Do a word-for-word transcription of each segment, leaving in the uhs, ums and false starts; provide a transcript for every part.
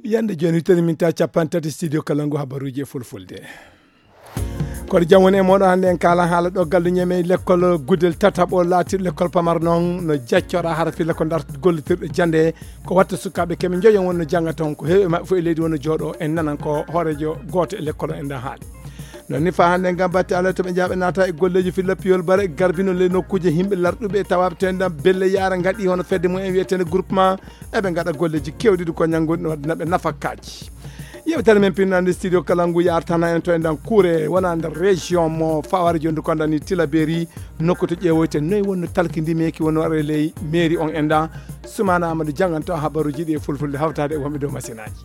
Yande jooni, wittere min ta capanɗe tati, studio Kalangu, habaruuji e fulfulde. Koɗo jam woni e mooɗon. Hannde en kaalan haala ɗo gallu ñeme lekkol Gudel tataɓo laatiiɗo lekkol pamar noon no jaccoraa hara filla ko ndarta gollitirɗe jannde. Ko watta sukaaɓe keme njoyon wonno jannga toon, ko heewi e maɓɓe fof e leydi wonno jooɗo, en nanan ko hooreejo gooto e lekkol o en ɗan haali. Noon ni faa hannde ngam batte Allah to ɓe njaaɓe naata e golleeji filla piyol bare garbino le nokkuuje himɓe larɗuɓe e tawaaɓe to en ɗan belle yaara ngaɗi hono fedde mum en wiyeteende groupement. Eɓe ngaɗa golleeji keewɗi ɗi ko ñanngude no waɗana ɓe nafakaaji. Yewtere men pinnande studio Kalangu yartana en to e ndan kuure wona nder région mo Fawar jondu kondani Tilaberi, nokku to ƴeewoyte noy wonno talki ndi meki wonno waɗa e ley mairie on en ɗan. Sumana Amadou janganto habaruuji ɗi e fulfulde hawtaade e wonɓe dow masinaaji.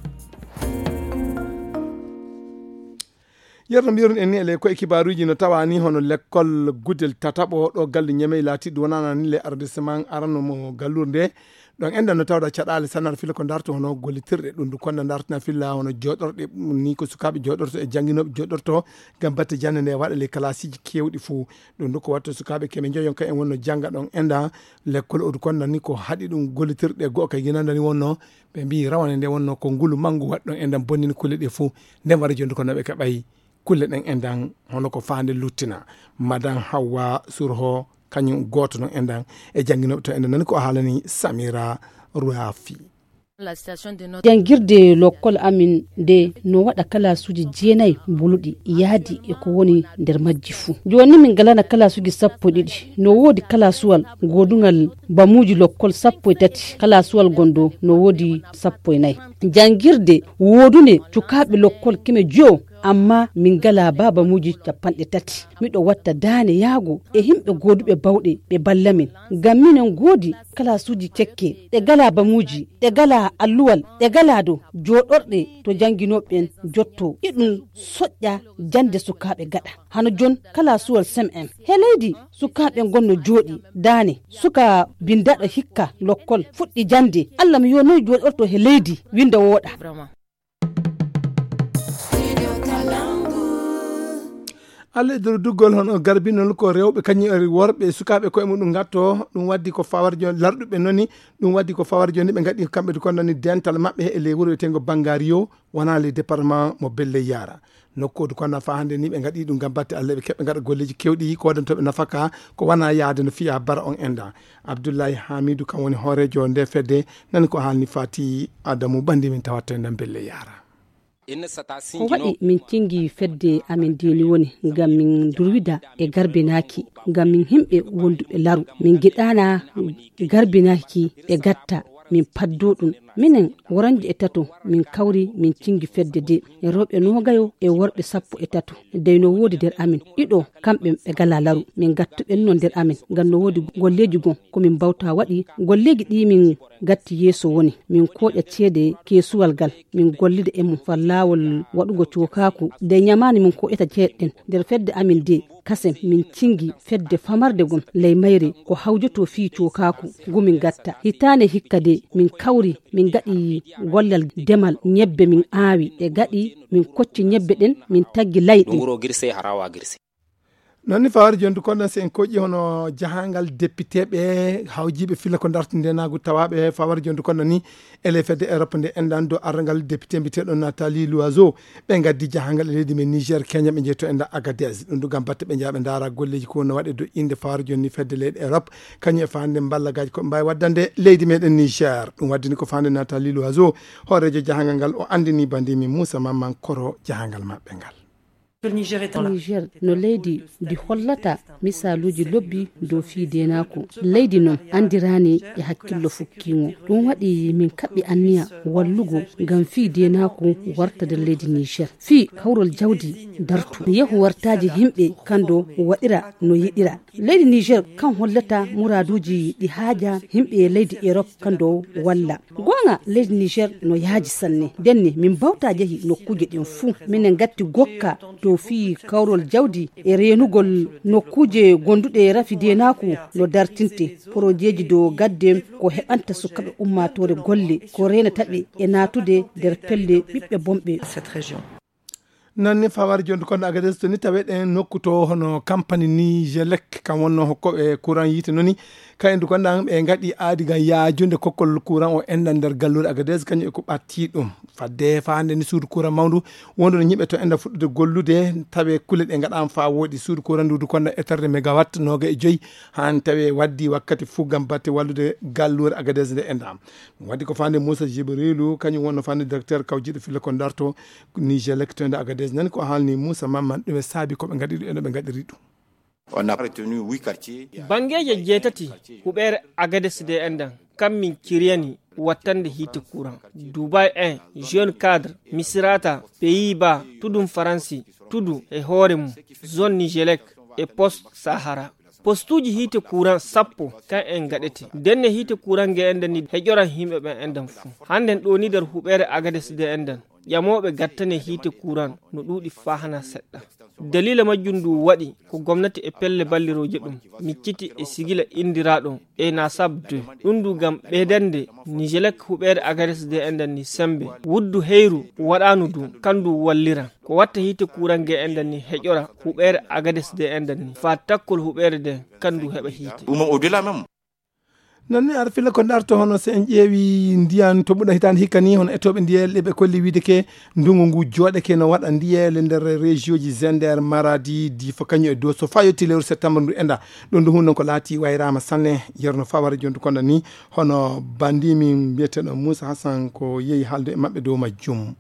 Yerno mbiyeron en ni e ley ko e kibaaruuji no tawani hono lekkol Gudel tataɓo ɗo gallu ñamey laatiiɗo wonana ni le arrondissement arano mo gallure nde. Ɗon enɗan no tawda caɗaale sanar fila ko darto hono gollitirɗe ɗum du konda dartina filla hono jooɗorɗe ni ko sukaaɓe jooɗorto e jannginooɓe jooɗorto ngam batte jannde nde waɗa ley kalaasiiji keewɗi fuu. Ɗum du ko watto sukaaɓe keme njoyon ka en wonno jannga ɗon enɗan lekkol odu konda ni ko haɗi ɗum gollitirɗe go'o ka yinanda ni wonno ɓe mbiyi rawane nde wonno ko ngulu manngu waɗɗon enɗan bonnini kulle ɗe fuu. Nden wara jondu ko naɓe kaɓay kulle ɗen enɗan hono ko faande luttina. Madan Hawwa Surho kañum gooto non enɗan e jannginooɓe to enɗan nani ko haalani Samira Ruafi. Janngirde lokkol amin nde no waɗa kalaasuuji jeenayi mbuluɗi yaadi e ko woni nder majji fuu. Jooni min ngalana kalaasuuji sappo e ɗiɗi. No woodi kalaasuwal goodungal bamuuji lokkol sappo e tati, kalaasuwal gonɗo no woodi sappo e nayi. Janngirde woodunde cukaaɓe lokkol keme jowo, amma min ngalaa baabamuuji capanɗe tati. Miɗo watta daane yaago e himɓe gooduɓe bawɗe ɓe balla min. Ngam minen goodi kalaasuuji cekke, ɗe ngalaa bamuuji, ɗe ngalaa alluwal, ɗe ngalaa dow jooɗorɗe to jannginooɓe ɓen jotto. Iɗum soƴƴa jannde sukaaɓe gaɗa. Hano jon kalaasuwal sem en. He leydi sukaaɓe ngon no jooɗi. Daane, suka bindaɗo hikka lokkol, fuɗɗi jannde. Allah mi yo noy jooɗorto he leydi, winnda wooɗa. Allah e nder duggol hono garbinol ko rewɓe kañum e worɓe e sukaaɓe koye muɗum ngatto. Ɗum waddi ko fawar jooni larɗuɓe noni. Ɗum waddi ko fawar jooni ɓe ngaɗi kamɓe ko nani dental maɓɓe e ley wuro wiyetengo Bangario, wona le département mo Belle Yara. Nokkuudu kono nafa hannde ni ɓe ngaɗi ɗum ngam batte Allah ɓe keɓɓe ngaɗa golleeji kewɗi ko waɗantooɓe nafaka ko wona yaade no fiya bara on enda. Abdullahi Hamidu kam woni hooreejo nde fedde, nani ko haalni Fati Adamu bandi min tawatto e nden Belle Yara. Ko waɗi min cingi fedde amin ndeni woni ngam min durwida e garbinaaki, ngam min himɓe wonduɓe laru. Min giɗana garbinaaki e gatta, min paddo ɗum. Minen woranji e tato, min kawri min cingi fedde de e rewɓe noogayo e worɓe sappo e tato. Dey no woodi nder amin ɗiɗo, kamɓe ɓe gala laru. Min gattuɓen no nder amin, ngam no woodi golleeji gon ko min mbawta waɗi. Golleeji ɗi min gatti yeeso woni min koƴa ceede keesuwal gal, min gollida e mum far laawol waɗugo cookaaku. Dey ñamaani min koƴata ceede ɗen nder fedde amin de, kasen min cingi fedde famarde gon ley mayre ko hawjoto fii cookaaku ngu min gatta. Hitaande hikka de min kawri min gaɗi gollal demal ñebbe min aawi ɗe gaɗi min kocci ñebbe ɗen min taggi layɗe. Ɗum wuro girse harawa girse. Noon ni fawar jondu kono si en koƴƴi hono jahangal député ɓe hawjiɓe filla ko darti ndenagu tawaɓe fawar jondu kono ni ele fedde Europe nde enɗan do arrangal député mbiteɗo Nathalie Loiseau ɓe gaddi jahangal e leydi men Niger Kenya ɓe jeeto enɗan Agadez ɗum du gam batte ɓe jaaɓe ndaara golleji ko no waɗe do inde fawar jonni fedde leyɗe Europe kañum e fande mballagaji ko mbawi waddande leydi meɗen Niger ɗum waddini ko fande Nathalie Loiseau hoorejo jahangal ngal o andini bandimi Moussa Mamman Koro jahangal maɓɓe ngal. Niger no leydi ndi hollata misaaluuji lobbi dow fii deenaaku. Leydi non anndiraani e hakkillo fukkiingo. Ɗum waɗi min kaɓɓi anniya wallugo ngam fii deenaaku warta nder leydi Niger. Fii kawrol jawdi dartu, yehu wartaaji yimɓe kando waɗira no yiɗira. Leydi Niger kan hollata muraaduuji ɗi haaja yimɓe leydi Erop kando walla. Goonga leydi Niger no yaaji sanne. Ndenne min mbawta jehi nokkuuje ɗen fuu. Minen ngatti gokka dow fii kawrol jawdi e reenugol nokkuuje gonduɗe rafi deenaaku no dartinte. Porojeeji dow gadde ko heɓanta sukaaɓe ummaatoore golle, ko reenata ɓe e naatude nder pelle ɓiɓɓe bonɓe. Noon ni fawar jonde konɗo Agadez to ni taweɗen nokku to hono kampani Nigelec, kam wonno hokkoɓe courant yiite noni. Kayen du konɗo an ɓe ngaɗi aadi ngam yaajude kokkol courant o enɗan nder galluure Agadez, kañum e ko ɓatti ɗum. Fadde faande ni suudu courant mawndu wondu no yimɓe to enɗan fuɗɗude gollude, tawe kulle ɗe ngaɗaama faa wooɗi. Suudu courant ndu du konɗo éternde mégawatt nooga e joyi, haan tawe waddi wakkati fuu ngam batte wallude galluure Agadez nde enɗan. Ɗum waddi ko faande Moussa Jibrilu, kañum wonno faande directeur kawjiiɗo filla ko darto Nigelec to ende Agadez. Nani ko haalni Moussa Mamman, ɗum e saabi ko ɓe ngaɗi ɗum e no ɓe ngaɗiri ɗum. On a retenu huit quartiers. Banngeeje jeetati huɓeere Agadez de enɗan, kam min kiriyani wattande hiite courant. Dubai un, Jeune Cadre, Misrata, Pays-Bas, Tudun Faransi, Tudu e hoore mum, Zone Nigelec e Post Sahara. Postuuji hiite courant sappo kan en ngaɗete. Denne hiite courant nge enɗan ni heƴoran yimɓe ɓen enɗan fuu. Hannden ɗo ni nder huɓeere Agadez de enɗan, ƴamooɓe gattane hiite courant no ɗuuɗi faa hana seɗɗa. Daliila majjum ndu waɗi ko gomnati e pelle ballirooje ɗum micciti e sigila inndiraaɗo ENASAB deux. Ɗum ndu ngam ɓeydande Nigelec huɓeere Agadez de enɗan ni semmbe. Wuddu heyru waɗaanu ndu, kan ndu wallira. Ko watta hiite kuuran nge enɗan ni heƴora huɓeere Agadez de enɗan ni. Faa takkol huɓeere de, kan ndu heɓa hiite. Ɗum au-delà même. Noon ni, aɗa filla ko darto hono so en ƴeewi ndiyan to ɓuɗa hitaande hikka ni, hono etooɓe ndiyel ɗe ɓe kolli wiide ke ndungu ngu jooɗeke no waɗa ndiyele nder région ji Zender, Maradi, Difa, kañum e Dosso, faa yotti lewru septembre ndu enda. Ɗum ndu hunde ko laati wayraama sanne, yerno fawara jondu kono ni, hono bandi min mbiyeteeɗo Moussa Hassan ko yehi haalde e maɓɓe dow majjum.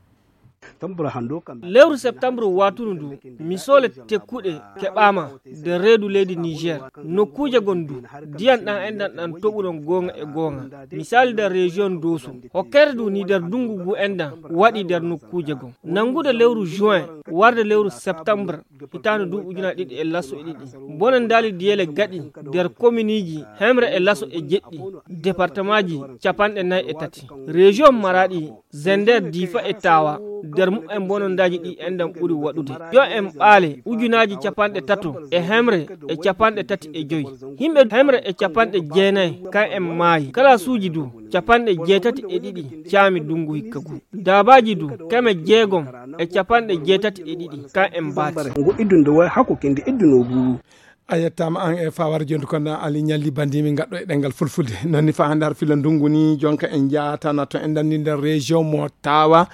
Lewru septembre watundu ndu, misole tekkuɗe keɓaama nder reedu leydi Niger. Nokkuuje gon ndu, ndiyan ɗan enɗan ɗan toɓuɗon goonga e goonga. Misali nder région Dosso, hokkere ndu ni nder ndungu ngu enɗan waɗi nder nokkuuje gon. Nangude lewru juin, warde lewru septembre, hitaande ndu ujunaaji ɗiɗi e laso e ɗiɗi. Bonandaali ndiyele gaɗi nder kominiji Hemre e Laso e jeɗɗi, departamaji capanɗe nayi e tati. Région Maradi, Zender, Difa e Tawa, nder mumen bonondaaji ɗi enɗan ɓuri waɗude. Yo en ɓaale ujunaaji capanɗe tato e Hemre e capanɗe tati e joyi. Yimɓe Hemre e capanɗe jeenayi kan en maayi. Kalasuuji du capanɗe jeetati e ɗiɗi caami ndungu hikka ngu. Daabaaji du keme jeegom e capanɗe jeetati e ɗiɗi kan en mbaati. Ngu iddunde way hakko kende iddunoo ngu. A yettaama aan e faawara jonde kono Ali Ñalli Bandi, min ngaɗɗo e ɗemngal fulfulde. Noon ni faa hannde har filla ndungu ni, jonka en njaatana to enɗan ni nder région mo Tawa.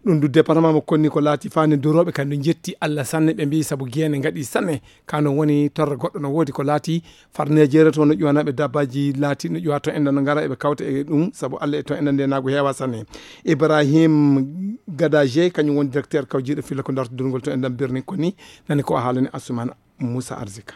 Ɗum du département mo Konni ko laati faande durooɓe kan du njetti Allah sanne, ɓe mbiyi sabu geene ngaɗi sanne. Ka no woni torra goɗɗo no woodi ko laati farneejeere to no ƴuwanaaɓe dabbaaji laati no ƴuwa to enɗan no ngara eɓe kawta e ɗum sabu Allah e to enɗan nde naagu heewa sanne. Ibrahim Gadaje kañum woni directeur kawjiiɗo filla ko darto durngol to enɗan birni Konni. Nani ko o haalani Asumana Moussa Arzika.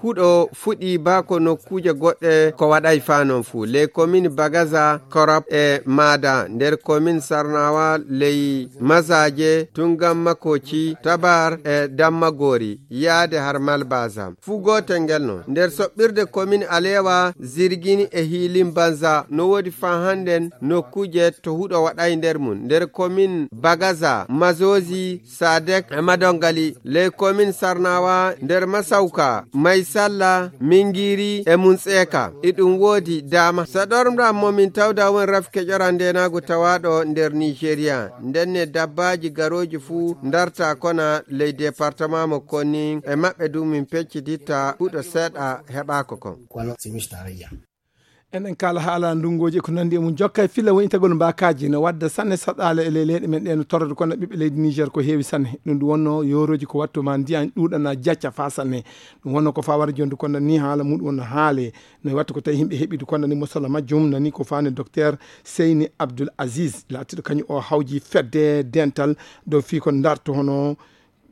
Huɗo fuɗi baa ko nokkuuje goɗɗe ko waɗay faa non fuu. Ley komin Bagaza, Korop e Maada, nder komin Sarnawa, ley Mazaje, Tungan Makoci, Tabar e Dammagori, yaade har Malbaza. Fuu gootel ngel non. Nder soɓɓirde komin Alewa, Zirgini e Hiilin Banza, no woodi faa hannden nokkuuje to huɗo waɗay nder mum. Nder komin Bagaza, Mazozi, Sadek e Madongali, ley komin Sarnawa, nder Masawka, Maysalla, Mingiri e Munseka. Iɗum woodi daama. Saɗormɗam mo min tawda won rafi keƴoran ndeenaagu tawaaɗo nder Nigeria. Ndenne dabbaaji garooji fuu ndarta kona ley departement mo koni e maɓɓe du min peccititta huɗo seeɗa heɓaako kon. Eɗen kaala haala ndunngooji e ko nanndi e mum. Jokka e filla woñitagol mbaakaaji no wadda sanne saɗaale e ley leyɗe men ɗe no torrata kono ɓiɓɓe leydi Niger ko heewi sanne. Ɗum ɗum wonno yoorooji ko wattu ma ndiyan ɗuuɗana jacca faa sanne. Ɗum wonno ko fawara jondu kono ni haala muɗum wonno haale. No wattu ko tawi yimɓe heɓi du kono ni mosola majjum nani ko faani docteur Seyni Abdoul Aziz laatiɗo kañum o hawji fedde dental dow fii ko darto hono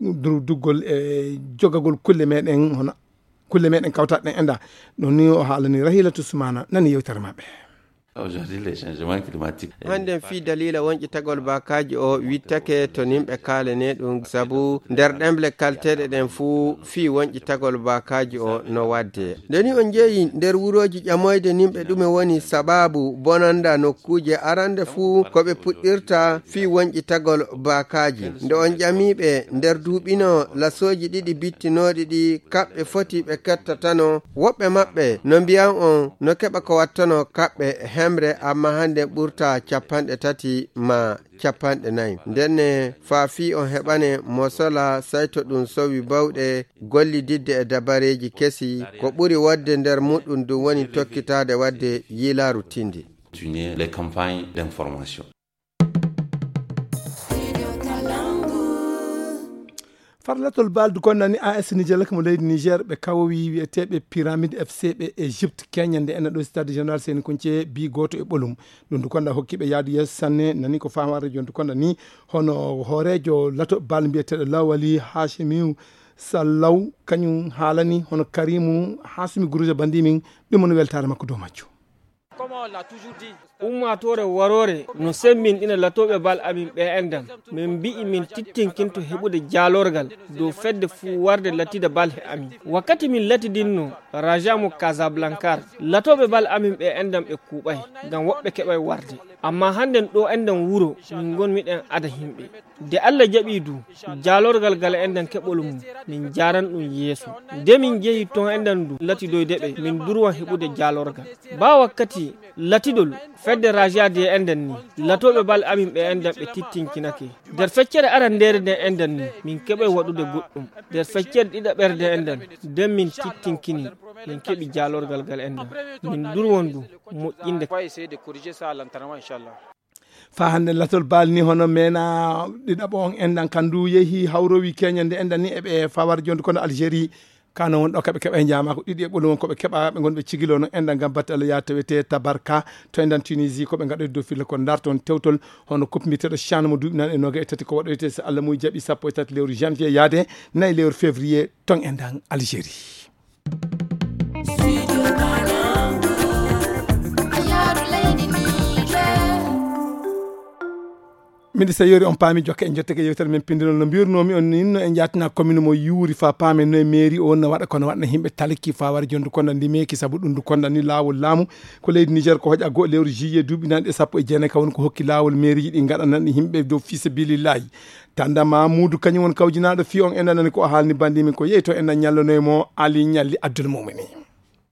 du-, duggol e jogagol kulle meɗen hono kulle meɗen kawtaɗe ɗen enda. Ɗum ni o haalani Rahilatu Sumana nani yewtere maɓɓe. Aujourd'hui, les changements climatiques. Hannden fii daliila wonƴitagol baakaaji o wittake to nimɓe kaalene ɗum, sabu nder ɗemle kalteeɗe ɗen fuu fii wonƴitagol baakaaji o no wadde. Nde ni on njeyi nder wurooji ƴamoyde nimɓe ɗume woni sabaabu bonanda nokkuuje, arande fuu ko ɓe puɗɗirta fii wonƴitagol baakaaji. Nde on ƴamiiɓe nder duuɓino lasooji ɗiɗi bittinooɗi ɗi kaɓɓe foti ɓe kettatano, woɓɓe maɓɓe no mbiyan on no keɓa ko wattanoo kaɓɓe emre, amma hannde ɓurta capanɗe tati ma capanɗe nayi. Ndenne, faa fii on heɓane mosola, sayto ɗum sowi bawɗe gollididde e dabareeji kesi, ko ɓuri waɗde nder muɗum ɗum woni tokkitaade waɗde yiilaaru tindi. Continuer les campagnes d'information. Farlatol bal du konnani A S Niger mo leydi Niger, ɓe kawowi wiyeteeɓe Pyramide F C ɓe Egypte keñande ena ɗo stade général Seni Kunce bi gooto e ɓolum. Ɗum du konda hokki ɓe yaadu yeeso sanne, nani ko faamaare jon du konda ni, hono hooreejo lato bal mbiyeteeɗo Lawali Hashimiu Sallaw, kañum haalani hono Karimu Hasumi Guruja bandi min, ɗum woni weltaare makko dow majjo. Ummaatoore waroore no semmbinɗina latooɓe bal amin ɓe enɗam. Min mbi'i min tittinkinto heɓude jaalorgal dow fedde fuu warde latida bal he amin. Wakkati min latidinno Raja mo Casablanca, latooɓe bal amin ɓe enɗam ɓe kuuɓay, ngam woɓɓe keɓay warde. Amma hannden ɗo enɗam wuro, min ngonmi ɗen ada himɓe. De Alla jaɓii du, jaalorgal gal enɗam keɓol mum, min njaaran ɗum yeeso. De min njehi ton enɗam du, latidoyde ɓe, min durwan heɓude jaalorgal. Baa wakkati latidol fedde Raja de enɗam ni, latooɓe bal amin ɓe enɗam ɓe tittinkinake. Nder feccere arandeere nde enɗam ni, min keɓay waɗude goɗɗum. Nder feccere ɗiɗaɓere nde enɗam, nden min tittinkini, min keɓi jaalorgal gal enɗam. Min durwan du, moƴƴinde. Faa hannde latol baali ni hono meena ɗiɗaɓo on enɗam kandu yehi hawrowi keñande enɗam ni e ɓe fawar jonde kono Algérie. Kano won ɗo kaɓe keɓa e jaama ko ɗiɗi e ɓolum won ko ɓe keɓa ɓe ngon ɓe cigilo no enɗam ngam batte Allah yaa tawete Tabarka to enɗam Tunisie ko ɓe ngaɗoyde dow filla ko darton tewtol hono coupe mbiteɗo chan mo duuɓi nan e noga e tati ko waɗoyte so Allah muy jaɓi sappo e tati lewru janvier yaade nayi lewru février ton enɗam Algérie. Miɗo so yori on paami jokke en jottake yewtere men pindinol no mbirnoomi on ninno en jaatina commune mo yuuri fa paame no e mairie o no waɗa kono waɗna yimɓe talki fa wara jondu konda ndimeki sabu ɗum du konda ni laawol laamu ko leydi Niger ko hoƴa go lewru juillet duuɓi nanɗe sappo e jeenayi ka woni ko hokki laawol mairie ji ɗi ngaɗanan yimɓe dow fi sabilillahi. Tanda Mamudu kañum won kawjinaaɗo fii on enɗan nani ko o haalni bandi min ko yehi to enɗan ñallonoy mo Ali Ñalli Abdul Mumini.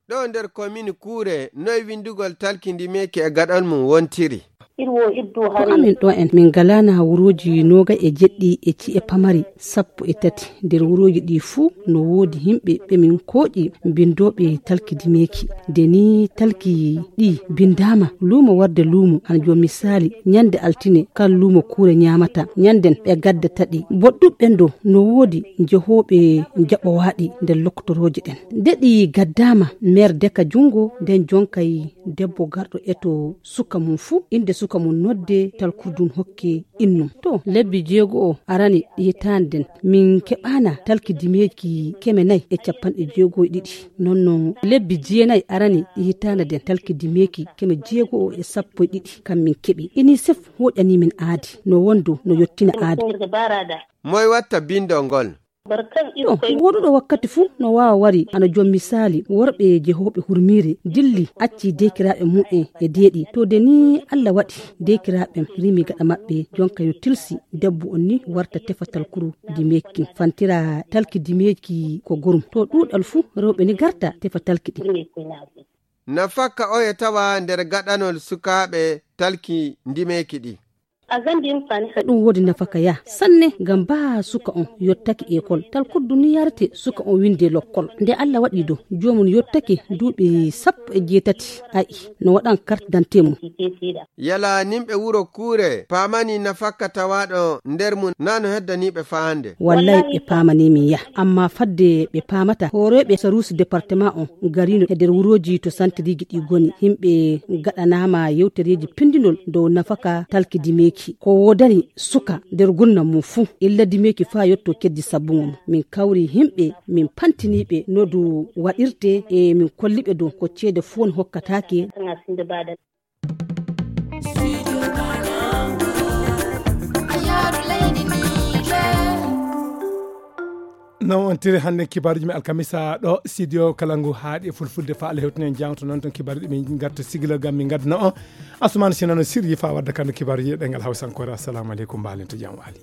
Ɗo nder komini Kuure noy winndugol talki ndimeeki e gaɗol mum wontiri? Ko amin ɗo en min ngalaana wuruuji nooga e jeɗɗi e ci'e pamari sappo e tati. Nder wuruuji ɗi fuu no woodi yimɓe ɓe min kooƴi mbinndooɓe talki ndimeeki. Nde ni talki ɗi mbinndaama luumo warde luumo, hano joom misaali ñande altine kala luumo Kuure ñaamata ñanden ɓe gaddata ɗi. Boɗɗuɓe ɓen ɗo no woodi jehooɓe jaɓowaaɗi nder lokkotorooje ɗen. Nde ɗi gaddaama meer deka junngo nden jonkay debbo garɗo eto suka mum fuu, innde suka mum nodde talkurdun hokke innum. To lebbi jeego o arani hitaande nden min keɓaana talki dimeeki keme nayi e capanɗe jeego e ɗiɗi. Non non lebbi jeenayi arani hitaande nden talki dimeeki keme jeego o e sappo e ɗiɗi kam min keɓi. Inisef hoƴani min aadi no wondo no yottina aadi. Moy watta bindol ngol? Ɗo woɗuɗo wakkati fuu no waawa wari ana joom misaali worɓe jehooɓe hurmiire dilli acci deekiraaɓe mumen e deeɗi. To de ni Alla waɗi deekiraaɓe rimi gaɗa maɓɓe jonka yo tilsi debbo on ni warta tefa talkuru dimeeki fantira talki dimeeki ko gorum. To ɗuuɗal fuu rewɓe ni garta tefa talki ɗi. Nafakka oye tawa nder gaɗanol sukaaɓe talki ndimeeki ɗi? Ɗum woodi nafaka ya sanne ngam baa suka on yottaki ekol talkuddu ni yarete suka on winde lokkol. Nde Allah waɗi do joomum yottaki duuɓi sappo e jeetati ayi no waɗan carte d'identité mum. Yala nimɓe wuro Kuure paamani nafakka tawaaɗo nder mum na no heddaniiɓe faande? Wallay ɓe paamani min ya amma fadde ɓe paamata hooreeɓe saruusi département on garino e nder wurooji to santiriiji ɗi goni. Yimɓe gaɗanaama yewtereeji pindinol dow nafaka talki dimeeki ko woodani suka nder gurnam mum fuu illa dimeeki faa yotto keddi sabbuŋo mum. Min kawri yimɓe min pantiniiɓe no du waɗirte e min kolliɓe dow ko ceede fuu woni hokkataake. Noon on tiri hannden kibaaruuji men alkamisa ɗo studio kala ngu haaɗi e fulfulde fa Allah hewtinen jangto noon toon kibaaruuji ɗi min ngarta sigila gam min ngaddana on Asumana Sinano sirji fa wadda kando kibaaruuji e ɗengal hawsankoore. Assalamu aleykum, mbaalen to jam waali.